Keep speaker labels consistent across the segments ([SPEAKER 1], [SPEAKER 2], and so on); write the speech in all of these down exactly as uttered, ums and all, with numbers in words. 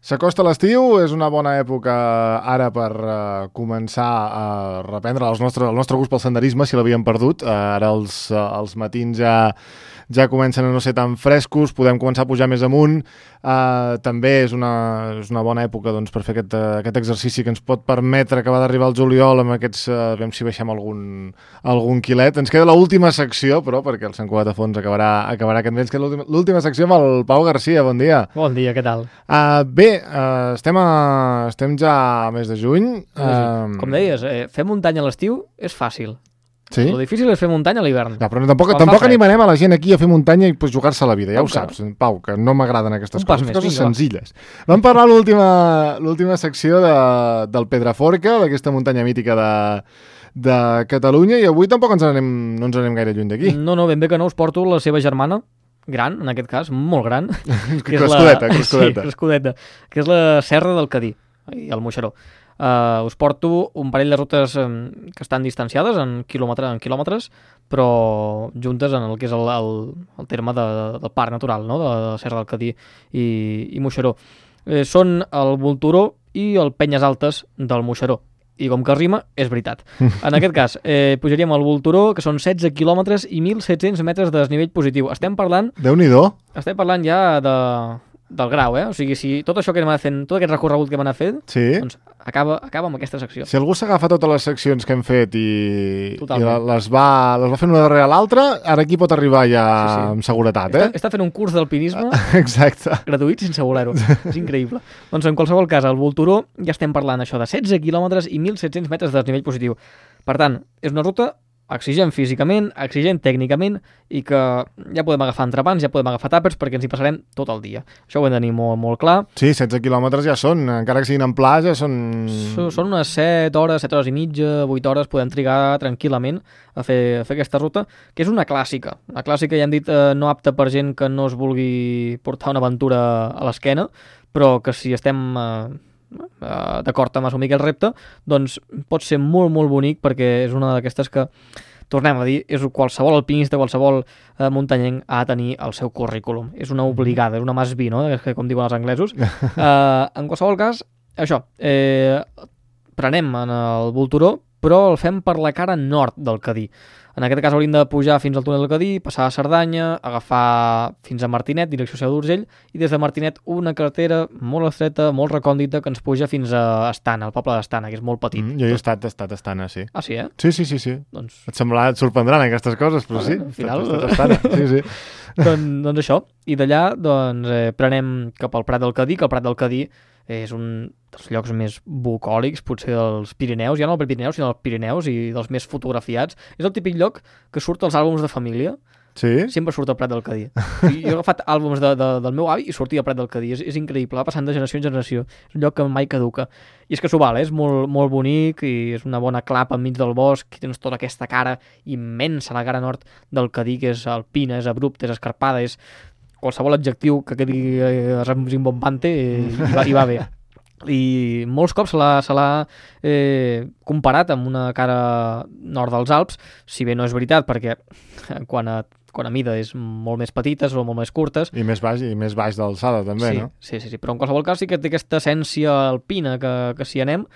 [SPEAKER 1] S'acosta l'estiu, és una bona època ara per uh, començar a reprendre els nostre, el nostre gust pel senderisme, si l'havíem perdut. Uh, ara els, uh, els matins ja, ja comencen a no ser tan frescos, podem començar a pujar més amunt. Uh, també és una, és una bona època doncs, per fer aquest, uh, aquest exercici que ens pot permetre acabar d'arribar al juliol amb aquests... Uh, veiem si baixem algun, algun quilet. Ens queda l'última secció, però, perquè el Sant Cugat a fons acabarà, acabarà aquest mes. Ens queda l'última secció amb el Pau Garcia. Bon dia.
[SPEAKER 2] Bon dia, què tal?
[SPEAKER 1] Uh, bé, uh, estem, a, estem ja a mes de juny. Uh,
[SPEAKER 2] Com deies, eh, fer muntanya a l'estiu és fàcil.
[SPEAKER 1] Sí?
[SPEAKER 2] El difícil és fer muntanya a l'hivern.
[SPEAKER 1] No, però tampoc, tampoc animarem a la gent aquí a fer muntanya i pues, jugar-se la vida, ja ho saps, Pau, que no m'agraden aquestes coses, més, coses senzilles. Vam parlar l'última secció de, del Pedraforca, d'aquesta muntanya mítica de, de Catalunya, i avui tampoc ens anem, no ens anem gaire lluny d'aquí.
[SPEAKER 2] No, no, ben bé que no, us porto la seva germana, gran, en aquest cas, molt gran.
[SPEAKER 1] que crescudeta,
[SPEAKER 2] la...
[SPEAKER 1] crescudeta.
[SPEAKER 2] Sí, crescudeta, que és la Serra del Cadí, i el Moixeró. Uh, us porto un parell de rutes um, que estan distanciades en, quilòmetre, en quilòmetres, però juntes en el que és el, el, el terme de, de, del parc natural, no? de, de la Serra del Cadí i, i Moixeró. Eh, són el Volturó i el Penyes Altes del Moixeró. I com que rima, és veritat. En aquest cas, eh, pujaríem al Volturó, que són setze quilòmetres i mil set-cents metres de desnivell positiu. Estem parlant...
[SPEAKER 1] Déu-n'hi-do!
[SPEAKER 2] Estem parlant ja de... del grau, eh? O sigui, si tot això que hem anat fent, tot aquest recorregut que hem anat fent,
[SPEAKER 1] sí.
[SPEAKER 2] doncs acaba, acaba amb aquesta secció.
[SPEAKER 1] Si algú s'agafa totes les seccions que hem fet i, i
[SPEAKER 2] les,
[SPEAKER 1] va, les va fent una darrere l'altra, ara aquí pot arribar ja sí, sí. amb seguretat, eh?
[SPEAKER 2] Està, està fent un curs d'alpinisme
[SPEAKER 1] Exacte.
[SPEAKER 2] gratuït sense voler-ho. És increïble. Doncs en qualsevol cas, al Volturó ja estem parlant això de setze quilòmetres i mil set-cents metres de desnivell positiu. Per tant, és una ruta exigent físicament, exigent tècnicament i que ja podem agafar entrepans, ja podem agafar tàpers perquè ens hi passarem tot el dia. Això ho hem de tenir molt, molt clar.
[SPEAKER 1] Sí, setze quilòmetres ja són, encara que siguin en pla, ja són...
[SPEAKER 2] Són unes set hores, set hores i mitja, vuit hores, podem trigar tranquil·lament a fer, a fer aquesta ruta, que és una clàssica. Una clàssica, ja hem dit, eh, no apta per gent que no es vulgui portar una aventura a l'esquena, però que si estem... Eh, Uh, d'acord amb assumir aquest repte, doncs pot ser molt molt bonic perquè és una d'aquestes que, tornem a dir, és qualsevol alpinista, qualsevol uh, muntanyenc ha de tenir el seu currículum. És una obligada, és una must be, no? Que, com diuen els anglesos. Uh, en qualsevol cas, això, eh, prenem en el Volturó, però el fem per la cara nord del Cadí. En aquest cas hauríem de pujar fins al túnel del Cadí, passar a Cerdanya, agafar fins a Martinet, direcció Seu d'Urgell, i des de Martinet una carretera molt estreta, molt recòndita, que ens puja fins a Estana, al poble d'Estana, que és molt petit.
[SPEAKER 1] Mm, jo he estat, he estat a Estana, sí.
[SPEAKER 2] Ah, sí, eh?
[SPEAKER 1] Sí, sí, sí. sí.
[SPEAKER 2] Doncs...
[SPEAKER 1] Et semblarà, et sorprendran aquestes coses, però sí,
[SPEAKER 2] al final...
[SPEAKER 1] he estat a Estana, sí, sí.
[SPEAKER 2] doncs, doncs això, i d'allà doncs, eh, prenem cap al Prat del Cadí, que el Prat del Cadí és un dels llocs més bucòlics, potser dels Pirineus, ja no el Pirineus, sinó els Pirineus, i dels més fotografiats. És el típic lloc que surt als àlbums de família.
[SPEAKER 1] Sí?
[SPEAKER 2] Sempre surt al Prat del Cadí. Jo he agafat àlbums de, de, del meu avi i sortia al Prat del Cadí. És, és increïble, va passant de generació en generació. És un lloc que mai caduca. I és que s'ho val, eh? És molt, molt bonic i és una bona clapa enmig del bosc. I tens tota aquesta cara immensa, la cara nord del Cadí, que és alpina, és abrupta, és escarpada, és qualsevol adjectiu que quedi eh, rimbombante i, i, va, i va bé. I molts cops se l'ha eh, comparat amb una cara nord dels Alps, si bé no és veritat, perquè quan a, quan a mida és molt més petites o molt més curtes.
[SPEAKER 1] I més baix, i més baix d'alçada, també,
[SPEAKER 2] sí,
[SPEAKER 1] no?
[SPEAKER 2] Sí, sí, sí, però en qualsevol cas sí que té aquesta essència alpina que, que si anem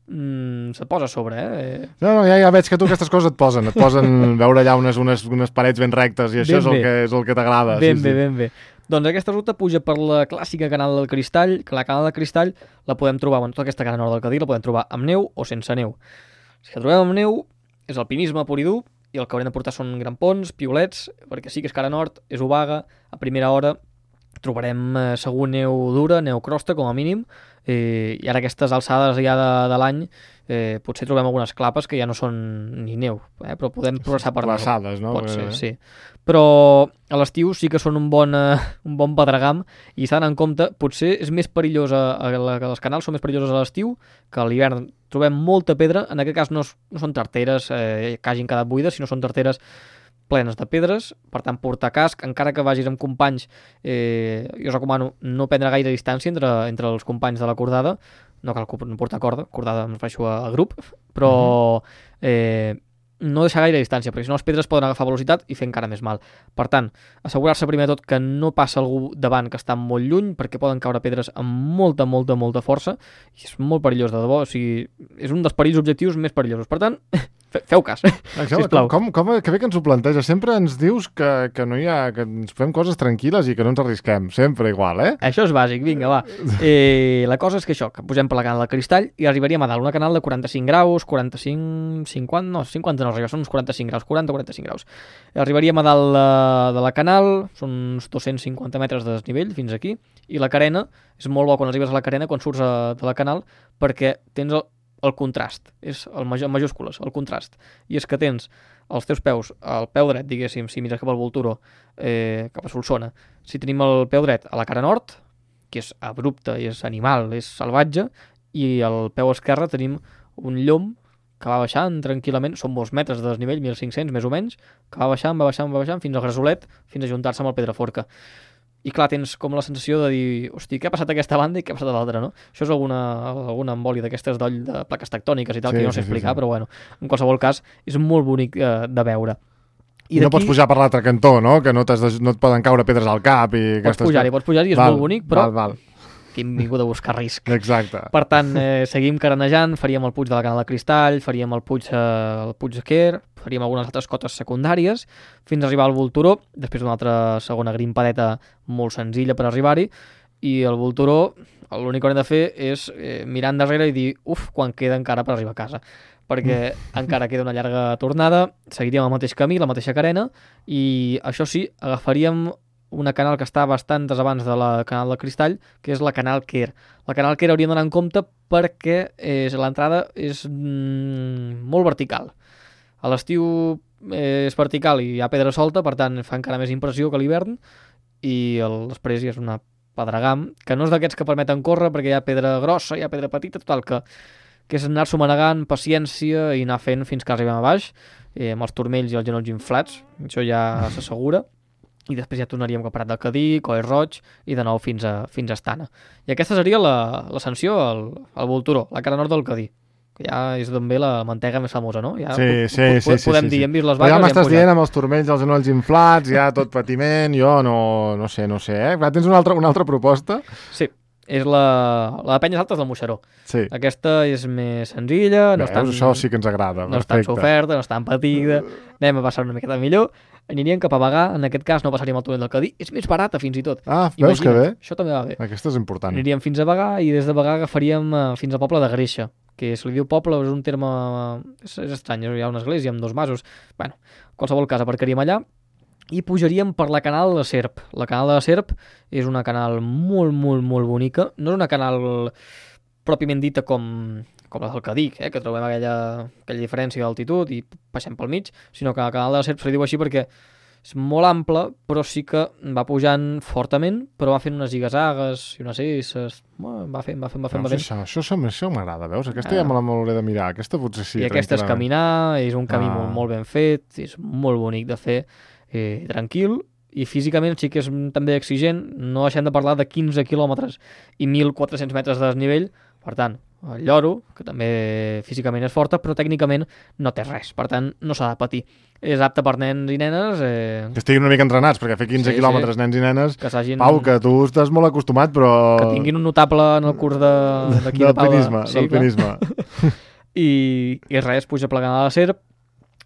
[SPEAKER 2] mm, se't posa a sobre, eh?
[SPEAKER 1] No, no, ja, ja veig que tu aquestes coses et posen, et posen veure allà unes, unes, unes parets ben rectes i això
[SPEAKER 2] ben
[SPEAKER 1] és el
[SPEAKER 2] bé.
[SPEAKER 1] que, és el que t'agrada.
[SPEAKER 2] Ben
[SPEAKER 1] sí,
[SPEAKER 2] bé,
[SPEAKER 1] sí.
[SPEAKER 2] ben bé. Doncs aquesta ruta puja per la clàssica Canal del Cristall, que la Canal del Cristall la podem trobar, bueno, tota aquesta cara nord del Cadí la podem trobar amb neu o sense neu. Si la trobem amb neu, és alpinisme pur i dur, i el que haurem de portar són grampons, piolets, perquè sí que és cara nord, és obaga, a primera hora trobarem eh, segur neu dura, neu crosta com a mínim, eh, i ara aquestes alçades ja de, de l'any eh, potser trobem algunes clapes que ja no són ni neu, eh, però podem progressar per
[SPEAKER 1] glaçades, no?
[SPEAKER 2] Pot ser, sí. Però a l'estiu sí que són un bon, uh, un bon pedregam i s'ha d'anar en compte, potser és més perillós a, a, a, els canals són més perillosos a l'estiu que a l'hivern trobem molta pedra, en aquest cas no, no són tarteres eh, que hagin quedat buides, sinó són tarteres plenes de pedres, per tant portar casc, encara que vagis amb companys, eh, jo us recomano no prendre gaire distància entre, entre els companys de la cordada, no cal portar corda, cordada em refereixo a, a grup, però eh, no deixar gaire distància, perquè si no les pedres poden agafar velocitat i fer encara més mal. Per tant, assegurar-se primer de tot que no passa algú davant que està molt lluny, perquè poden caure pedres amb molta, molta, molta força, i és molt perillós, de debò. O sigui, és un dels perills objectius més perillosos. Per tant, feu cas, sisplau.
[SPEAKER 1] Com, com, que bé que ens ho planteja. Sempre ens dius que, que no hi ha, que ens fem coses tranquil·les i que no ens arrisquem. Sempre igual, eh?
[SPEAKER 2] Això és bàsic, vinga, va. Eh, la cosa és que això, que posem per la canal de cristall i arribaríem a dalt una canal de quaranta-cinc graus, quaranta-cinc, cinquanta, no, cinquanta no arriba, són uns quaranta-cinc graus, quaranta quaranta-cinc graus. Arribaríem a dalt de, de la canal, són uns dos-cents cinquanta metres de desnivell fins aquí, i la carena, és molt bo quan arribes a la carena, quan surts a, de la canal, perquè tens el el contrast, és el major, en majúscules, el contrast, i és que tens els teus peus, el peu dret, diguéssim, si mires cap al Volturó, eh, cap a Solsona, si tenim el peu dret a la cara nord, que és abrupte, és animal, és salvatge, i al peu esquerre tenim un llom que va baixant tranquil·lament, són molts metres de desnivell, mil cinc-cents més o menys, que va baixant, va baixant, va baixant, fins al Gresolet, fins a juntar-se amb el Pedraforca. I clar, tens com la sensació de dir, hosti, què ha passat a aquesta banda i què ha passat a l'altra, no? Això és alguna, alguna embòlia d'aquestes d'oll de plaques tectòniques i tal, sí, que jo no sé sí, explicar, sí, sí. Però bueno, en qualsevol cas, és molt bonic eh, de veure.
[SPEAKER 1] I no pots pujar per l'altre cantó, no? Que no, de, no et poden caure pedres al cap i...
[SPEAKER 2] Pots pujar-hi, pots pujar-hi, és
[SPEAKER 1] val,
[SPEAKER 2] molt bonic, però...
[SPEAKER 1] Val, val.
[SPEAKER 2] Que hem vingut a buscar risc.
[SPEAKER 1] Exacte.
[SPEAKER 2] Per tant, eh, seguim carenejant, faríem el Puig de la Cana de Cristall, faríem el Puig, eh, el Puig de Quer, faríem algunes altres cotes secundàries, fins a arribar al Volturó, després d'una altra segona grimpadeta molt senzilla per arribar-hi, i el Volturó, l'únic que haurem de fer és eh, mirar endarrere i dir, uf, quan queda encara per arribar a casa, perquè encara queda una llarga tornada, seguiríem el mateix camí, la mateixa carena, i això sí, agafaríem una canal que està bastants abans de la canal de Cristall, que és la canal Quer. La canal Quer hauríem d'anar en compte perquè és, l'entrada és mm, molt vertical. A l'estiu eh, és vertical i hi ha pedra solta, per tant fa encara més impressió que a l'hivern, i el, després hi és una pedregam, que no és d'aquests que permeten córrer perquè hi ha pedra grossa, hi ha pedra petita, total, que, que és anar-s'ho manegant, paciència i anar fent fins que arribem a baix, eh, amb els turmells i els genolls inflats, això ja s'assegura. I després ja tornaríem cap a Prat del Cadí, Coll Roig i de nou fins a, fins a Estana. I aquesta seria l'ascensió al, al Volturó, la cara nord del Cadí, que ja és d'on ve la mantega més famosa, no? Ja
[SPEAKER 1] sí, sí, sí, sí.
[SPEAKER 2] Podem
[SPEAKER 1] sí,
[SPEAKER 2] dir,
[SPEAKER 1] sí.
[SPEAKER 2] hem vist les vaques...
[SPEAKER 1] Però ja m'estàs dient amb els turmells, els genolls inflats, ja tot patiment, jo no, no sé, no sé, eh? Tens una altra, una altra proposta?
[SPEAKER 2] Sí, és la, la de Penyes Altes del Moixeró.
[SPEAKER 1] Sí.
[SPEAKER 2] Aquesta és més senzilla, no
[SPEAKER 1] Veus,
[SPEAKER 2] és tan...
[SPEAKER 1] això sí que ens agrada,
[SPEAKER 2] no és tan soferta, no és tan patida, anem a passar una miqueta millor. Aniríem cap a Bagà, en aquest cas no passaríem al túnel del Cadí, és més barata fins i tot.
[SPEAKER 1] Ah, veus que bé?
[SPEAKER 2] Això també va bé.
[SPEAKER 1] Aquesta és important.
[SPEAKER 2] Aniríem fins a Bagà i des de Bagà agafaríem uh, fins al poble de Greixa, que se li diu poble, és un terme... És, és estrany, hi ha una església amb dos masos. Bueno, en qualsevol cas aparcaríem allà i pujaríem per la canal de Serp. La canal de Serp és una canal molt, molt, molt bonica. No és una canal pròpiament dita com... com la del Cadí, eh, que trobem aquella, aquella diferència d'altitud i passem pel mig, sinó que el canal de la Serp se li diu així perquè és molt ample, però sí que va pujant fortament, però va fent unes zigazagues i unes esses, va fent, va fent, va fent, va fent.
[SPEAKER 1] Això, això, això, això m'agrada, veus? Aquesta ah. ja me la m'hauré de mirar, aquesta potser sí.
[SPEAKER 2] I aquesta és caminar, és un camí ah. molt, molt ben fet, és molt bonic de fer, eh, tranquil, i físicament sí que és també exigent, no deixem de parlar de quinze quilòmetres i mil quatre-cents metres de desnivell, per tant, el lloro, que també físicament és forta, però tècnicament no té res, per tant no s'ha de patir. És apte per nens i nenes... Eh...
[SPEAKER 1] Que estiguin una mica entrenats, perquè fer quinze sí, quilòmetres sí. Nens i nenes...
[SPEAKER 2] Que s'hagin...
[SPEAKER 1] Pau, que tu estàs molt acostumat, però...
[SPEAKER 2] Que tinguin un notable en el curs de... d'aquí de, de Pau.
[SPEAKER 1] De... Sí, d'alpinisme.
[SPEAKER 2] I, I res, puja plegant a la Serp.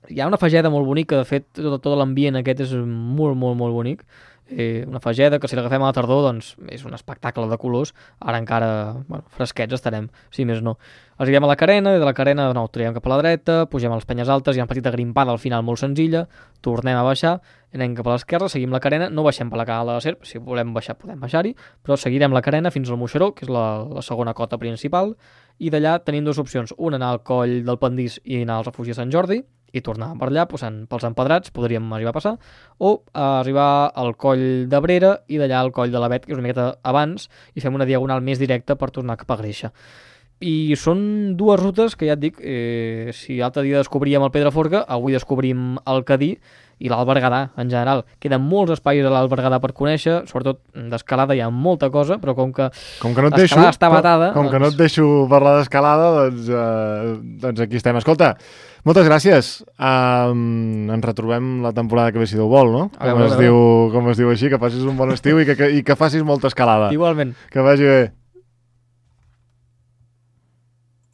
[SPEAKER 2] Hi ha una fageda molt bonica, de fet, tot, tot l'ambient aquest és molt, molt, molt bonic. Eh, una fageda que si l'agafem a la tardor doncs és un espectacle de colors, ara encara bueno, fresquets estarem, si més no. Arribem a la carena, i de la carena de nou traiem cap a la dreta, pugem a les penyes altes, hi ha una petita grimpada al final molt senzilla, tornem a baixar, anem cap a l'esquerra, seguim la carena, no baixem per la canal de la Serp, si volem baixar podem baixar-hi, però seguirem la carena fins al Moixeró, que és la, la segona cota principal, i d'allà tenim dues opcions, una anar al coll del Pendís i anar al refugi de Sant Jordi, i tornar per allà, posant pels empedrats, podríem arribar a passar, o arribar al coll d'Abrera i d'allà al coll de l'Avet, que és una miqueta abans, i fem una diagonal més directa per tornar cap a Greixa. I són dues rutes que ja et dic, eh, si l'altre dia descobríem el Pedraforca, avui descobrim el Cadí i l'Alt Berguedà en general. Queden molts espais a l'Alt Berguedà per conèixer, sobretot d'escalada hi ha molta cosa, però com que,
[SPEAKER 1] com que no et deixo,
[SPEAKER 2] està batada...
[SPEAKER 1] Com, com doncs... que no et deixo parlar d'escalada, doncs, uh, doncs aquí estem. Escolta, moltes gràcies. Um, ens retrobem la temporada que ve si Déu vol, no? Com es, diu, com es diu així, que facis un bon estiu i que, que, i que facis molta escalada.
[SPEAKER 2] Igualment.
[SPEAKER 1] Que vagi bé.